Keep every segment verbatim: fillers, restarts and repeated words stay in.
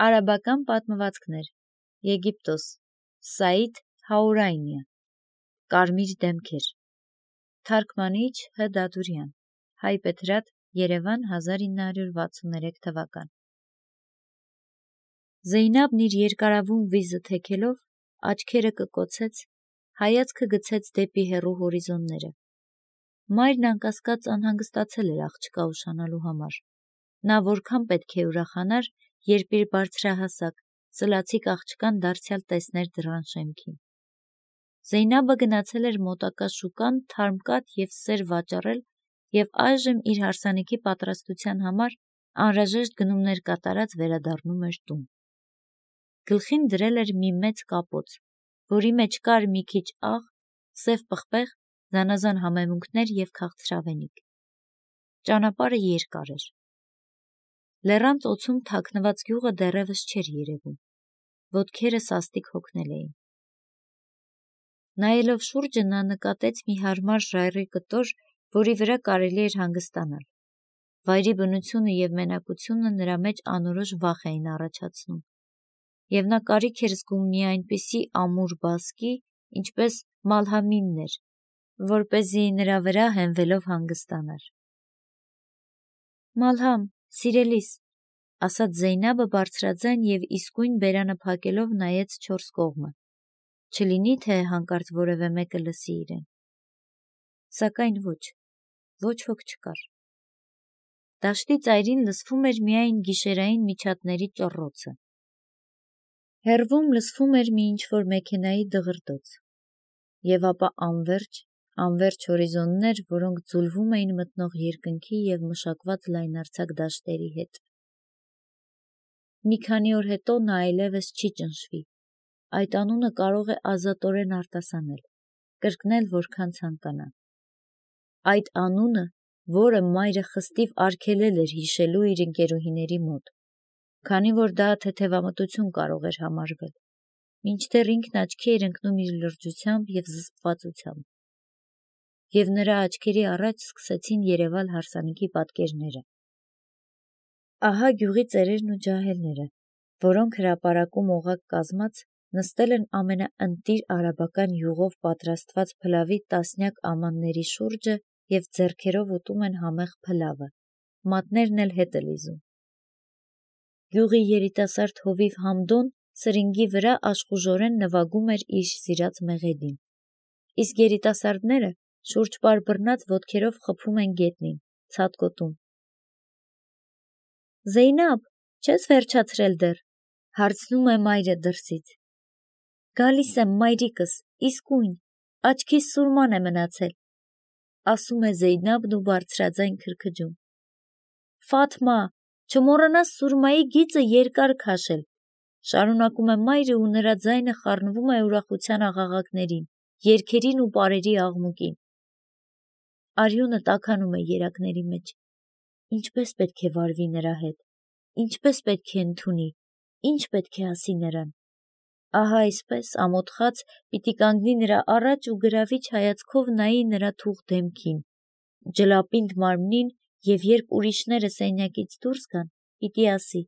Արաբական պատմվածքներ, Եգիպտոս, Սաիդ Հաուրայնիա, Կարմիր դեմքեր, Թարգմանիչ Հ. Դադուրյան, Հայպետրատ, Երևան, հազար ինը հարյուր վաթսուններեք թվական։ Զեյնաբն իր երկարավուն վիզը թեքելով, աչքերը կկոցեց, հայացքը գցեց դեպի հեռու հորիզոնները։ Մայրն անկասկած անհանգստացել էր աղջկա ուշանալու համար։ Նա որքան պետք է ուրախանար, երբ իր բարձրահասակ, սլացիկ աղջկան դարձյալ տեսներ դռան շեմքին։ Զեյնաբը գնացել էր մոտակա շուկան թարմ կաթ և սեր վաճառել և այժմ իր հարսանիքի պատրաստության համար անհրաժեշտ գնումներ կատարած վերադառնում էր տուն։ Գլխին դրել էր մի մեծ կապոց, որի մեջ կար մի քիչ աղ, սև պղպեղ, զանազան համեմունքներ և քաղցրավենիք։ Ճանապարհը երկար էր։ Լեռան ծոցում թաքնված գյուղը դեռևս չէր երևում, ոտքերը սաստիկ հոգնել էին։ Նայելով շուրջը նա նկատեց մի հարմար ժայռի կտոր, որի վրա կարելի էր հանգստանալ։ Վայրի բնությունը և մենակությունը նրա մեջ անորոշ վախ էին առաջացնում, և նա կարիք էր զգում մի այնպիսի ամուր բազկի, ինչպես Մալհամինն էր, որպեսզի նրա վրա հենվելով հանգստանար։ Մալհամ, սիրելիս, ասաց Զեյնաբը բարձրաձայն և իսկույն բերանը փակելով նայեց չորս կողմը, չլինի թե հանկարծ որևէ մեկը լսի իրեն։ Սակայն ոչ, ոչ ոք չկար։ Դաշտի ծայրին լսվում էր միայն գիշերային միջատների ճռռոցը։ Հեռվում լսվում էր մի ինչ-որ մեքենայի դղրդոց, և ապա անվերջ, անվերջ հորիզոններ, որոնք ձուլվում էին մտնող երկնքի և մշակված լայնարձակ դաշտերի հետ։ Մի քանի օր հետո նա այլևս չի ճնշվի, այդ անունը կարող է ազատորեն արտասանել, կրկնել որքան ցանկանա։ Այդ անունը, որը մայրը խստիվ արգելել էր հիշելու իր ընկերուհիների մոտ, քանի որ դա թեթևամտություն կարող էր համարվել, մինչդեռ ինքն աչքի էր ընկնում իր լրջությամբ և զսպվածությամբ, և նրա աչքերի առաջ սկսեցին երևալ հարսանիքի պատկերները։ Ահա գյուղի ծերերն ու ջահելները, որոնք հրապարակում օղակ կազմած նստել են ամենաընտիր արաբական յուղով պատրաստված փլավի տասնյակ ամանների շուրջը և ձեռքերով ուտում են համեղ փլավը, մատներն էլ հետը լիզում։ Գյուղի երիտասարդ հովիվ Համդոն սրինգի վրա աշխուժորեն նվագում էր իր սիրած մեղեդին, իսկ երիտասարդները շուրջպար բռնած ոտքերով խփում են գետնին, ցատկոտում։ Զեյնաբ, չե՞ս վերջացրել դեռ, հարցնում է մայրը դրսից։ Գալիս եմ, մայրիկս, իսկույն, աչքիս սուրման է մնացել, ասում է Զեյնաբն ու բարձրաձայն քրքջում։ Ֆաթմա, չմոռանաս սուրմայի գիծը երկար քաշել, շարունակում է մայրը ու նրա ձայնը խառնվում է ուրախության աղաղակներին, երգերին ու պարերի աղմուկին։ Արյունը տաքանում է երակների մեջ։ Ինչպես պետք է վարվի նրա հետ, ինչպես պետք է ընդունի, ինչ պետք է ասի նրան։ Ահա այսպես ամոթխած պիտի կանգնի նրա առաջ ու գրավիչ հայացքով նայի նրա թուղ դեմքին, ջլապինդ մարմնին և երբ ուրիշները սենյակից դուրս գան, պիտի ասի.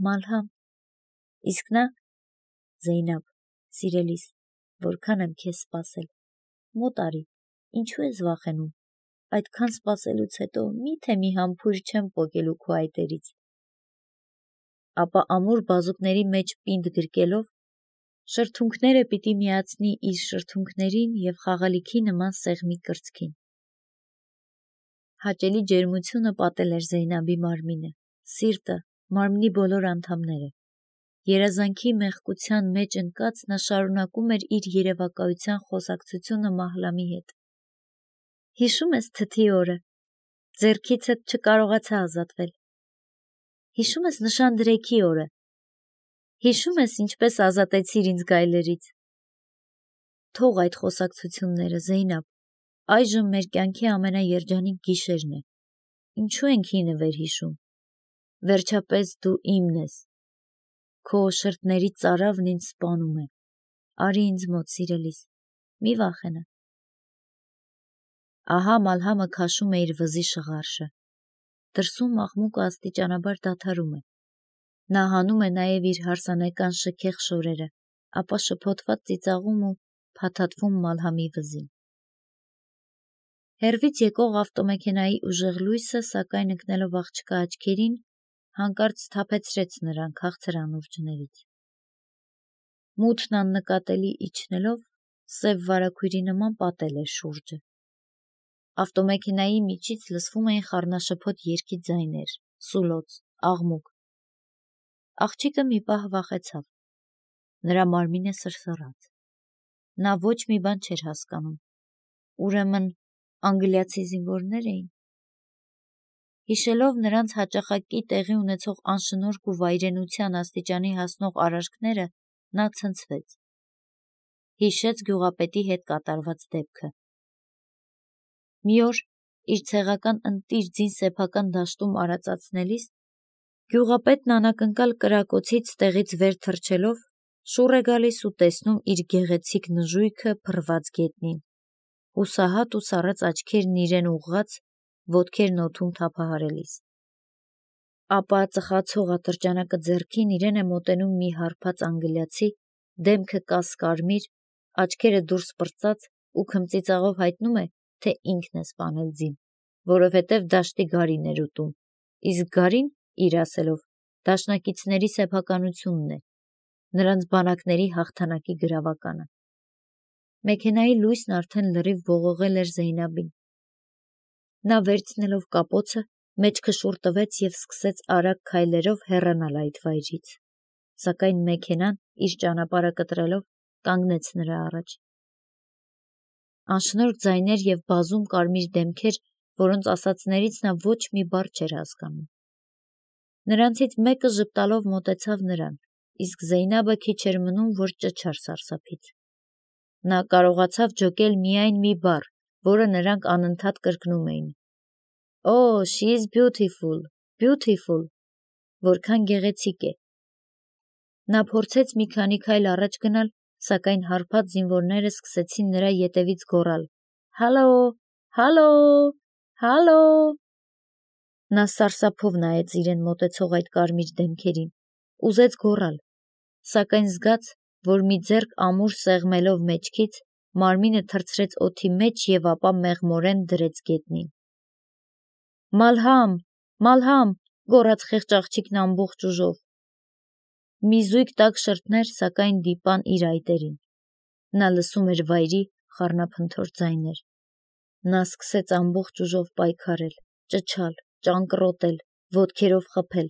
Մալհամ, իսկ նա. Զեյնաբ, սիրելիս, որքան եմ քեզ սպասել, մոտ արի, ինչու ես վախենում, այդքան սպասելուց հետո մի՞թե մի համբույր չեմ պոկելու քո այտերից։ Ապա ամուր բազուկների մեջ պինդ գրկելով, շրթունքները պիտի միացնի իր շրթունքներին և խաղալիքի նման սեղմի կրծքին։ Հաճելի ջերմությունը պատել էր Զեյնաբի մարմինը, սիրտը, մարմնի բոլոր անդամները։ Երազանքի մեղկության մեջ ընկած նա շարունակում էր իր երևակայության խոսակցությունը Մահլամի հետ։ Հիշում ես թթի օրը, ձեռքիցդ չկարողացա ազատվել։ Հիշում ես նշանդրեքի օրը, հիշում ես ինչպես ազատեցիր ինձ գայլերից։ Թող այդ խոսակցությունները, Զեյնաբ, այժմ մեր կյանքի ամենաերջանիկ գիշերն է, ինչու ենք հինը վերհիշում, վերջապես դու իմն ես, քո շրթների ծարավն ինձ սպանում է, արի ինձ մոտ, սիրելիս, մի վախենա։ Ահա Մալհամը քաշում է իր վզի շղարշը, դրսում աղմուկը աստիճանաբար դադարում է, Նա հանում է նաև իր հարսանեկան շքեղ շորերը, ապա շփոթված ծիծաղում ու փաթաթվում Մալհամի վզին։ Հեռվից եկող ավտոմեքենայի ուժեղ լույսը, սակայն ընկնելով աղջկա աչքերին, հանկարծ սթափեցրեց նրան քաղցր անուրջներից։ Մութն աննկատելի իջնելով, սև վարագույրի նման պատել էր շուրջը։ Ավտոմեքենայի միջից լսվում էին խառնաշփոթ երգի ձայներ, սուլոց, աղմուկ։ Աղջիկը մի պահ վախեցավ։ Նրա մարմինը սրսռաց։ Նա ոչ մի բան չէր հասկանում։ Ուրեմն անգլիացի զինվորներ էին։ Հիշելով նրանց հաճախակի տեղի ունեցող անշնորհք ու վայրենության աստիճանի հասնող արարքները, նա ցնցվեց։ Հիշեց գյուղապետի հետ կատարված դեպքը։ Մի օր իր ցեղական ընտիր ձին-սեփական դաշտում արածացնելիս գյուղապետն անակնկալ կրակոցից տեղից վեր թռչելով շուռ է գալիս ու տեսնում իր գեղեցիկ նժույգը փռված գետնին, հուսահատ ու սառած աչքերն իրեն ուղղած, ոտքերն օդում թափահարելիս։ Ապա ծխացող ատրճանակը ձեռքին իրեն է մոտենում մի հարբած անգլիացի, դեմքը կաս-կարմիր, աչքերը դուրս պրծած ու քմծիծաղով հայտնում է, թե ինքն է սպանել ձին, որովհետև դաշտի գարին էր ուտում, իսկ գարին, իր ասելով, դաշնակիցների սեփականությունն է, նրանց բանակների հաղթանակի գրավականը։ Մեքենայի լույսն արդեն լրիվ ողողել էր Զեյնաբին։ Նա վերցնելով կապոցը, մեջքը շուռ տվեց և սկսեց արագ քայլերով հեռանալ այդ վայրից, սակայն մեքենան, իր ճանապարհը կտրելով, կանգնեց նրա առաջ։ Անշնորհք ձայներ և բազում կարմիր դեմքեր, որոնց ասածներից նա ոչ մի բառ չէր հասկանում։ Նրանցից մեկը ժպտալով մոտեցավ նրան, իսկ Զեյնաբը քիչ էր մնում, որ ճչար սարսափից։ Նա կարողացավ ջոկել միայն մի բառ, որը նրանք անընդհատ կրկնում էին. «Oh, she is beautiful, beautiful», որքան գեղեցիկ է։ Նա փորձեց մի քանի քայլ առաջ գնալ, սակայն հարբած զինվորները սկսեցին նրա ետևից գոռալ. «Հալո, հալո, հալո»։ Նա սարսափով նայեց իրեն մոտեցող այդ կարմիր դեմքերին, ուզեց գոռալ, սակայն զգաց, որ մի ձեռք ամուր սեղմելով մեջքից, մարմինը թռցրեց օդի մեջ և ապա մեղմորեն դրեց գետնին։ «Մալհամ, Մալհամ», գոռաց խեղճ աղջիկն ամբողջ ուժով։ Մի զույգ տաք շրթներ, սակայն դիպան իր այտերին։ Նա լսում էր վայրի խառնափնթոր ձայներ։ Նա սկսեց ամբողջ ուժով պայքարել, ճչալ, ճանկռոտել, ոտքերով խփել,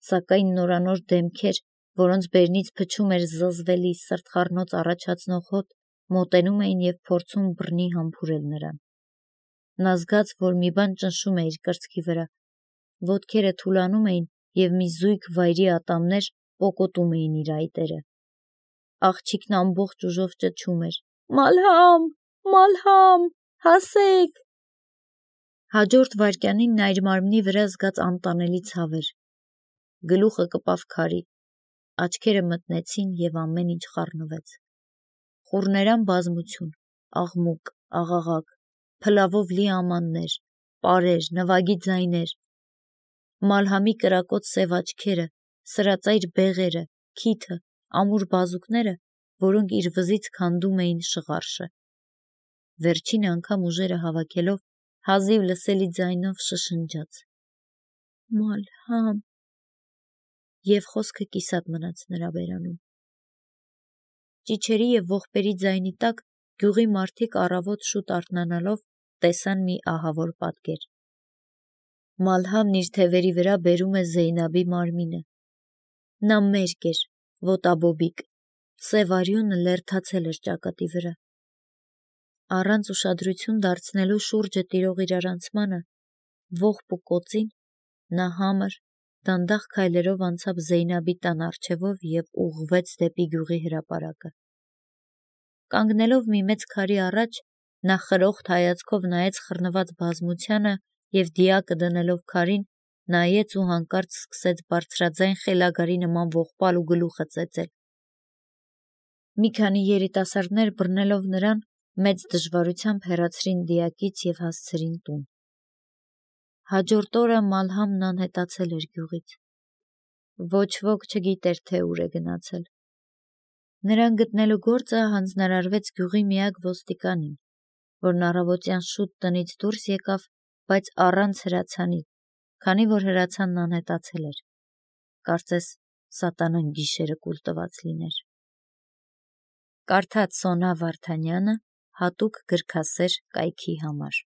սակայն նորանոր դեմքեր, որոնց բերնից փչում էր զզվելի, սրտխառնոց առաջացնող հոտ, մոտենում էին և փորձում բռնի համբուրել նրան։ Նա զգաց, որ մի բան ճնշում է իր կրծքի վրա, ոտքերը թուլանում էին և մի զույգ վայրի ատամներ պոկոտում էին իր այտերը։ Աղջիկն ամբողջ ուժով ճչում էր. «Մալհամ, Մալհամ, հասեք»։ Հաջորդ վայրկյանին նա իր մարմնի վրա զգաց անտանելի ցավեր։ Գլուխը կպավ քարի, աչքերը մթնեցին և ամեն ինչ խառնվեց։ Խուռներան բազմություն, աղմուկ, աղաղակ, փլավով լի ամաններ, պարեր, նվագի ձայներ։ Մալհամի կրակոտ սև աչքերը, սրածայր բեղերը, քիթը, ամուր բազուկները, որոնք իր վզից քանդում էին շղարշը։ Վերջին անգամ ուժերը հավաքելով, հազիվ լսելի ձայնով շշնջաց. «Մալհամ», և խոսքը կիսատ մնաց նրա բերանում։ Ճիչերի և ողբերի ձայնի տակ գյուղի մարդիկ առավոտ շուտ արթնանալով տեսան մի ահավոր պատկեր։ Մալհամն իր թևերի վրա բերում է Զեյնաբի մարմինը։ Նա մերկ էր, ոտաբոբիկ, սև արյունը լերդացել էր ճակատի վրա։ Առանց ուշադրություն դարձնելու շուրջը տիրող իրարանցմանը, ողբ ու կոծին, նա համր, դանդաղ քայլերով անցավ Զեյնաբի տան առջևով և ուղղվեց դեպի գյուղի հրապարակը։ Կանգնելով մի մեծ քարի առաջ, նա խրոխտ հայացքով նայեց խռնված բազմությանը և դիակը դնելով քարին, նայեց ու հանկարծ սկսեց բարձրաձայն խելագարի նման ողբալ ու գլուխը ծեծել։ Մի քանի երիտասարդներ բռնելով նրան, մեծ դժվարությամբ հեռացրին դիակից և հասցրին տուն։ Հաջորդ օրը Մալհամն անհետացել էր գյուղից։ Ոչ ոք չգիտեր, թե ուր է գնացել։ Նրան գտնելու գործը հանձնարարվեց գյուղի միակ ոստիկանին, որն առավոտյան շուտ տնից դուրս եկավ, բայց առանց հրացանի, քանի որ հրացանն անհետացել էր։ Կարծես սատանան գիշերը կուլ տված լիներ։ Կարդաց Սոնա Վարդանյանը հատուկ գրքասեր կայքի համար։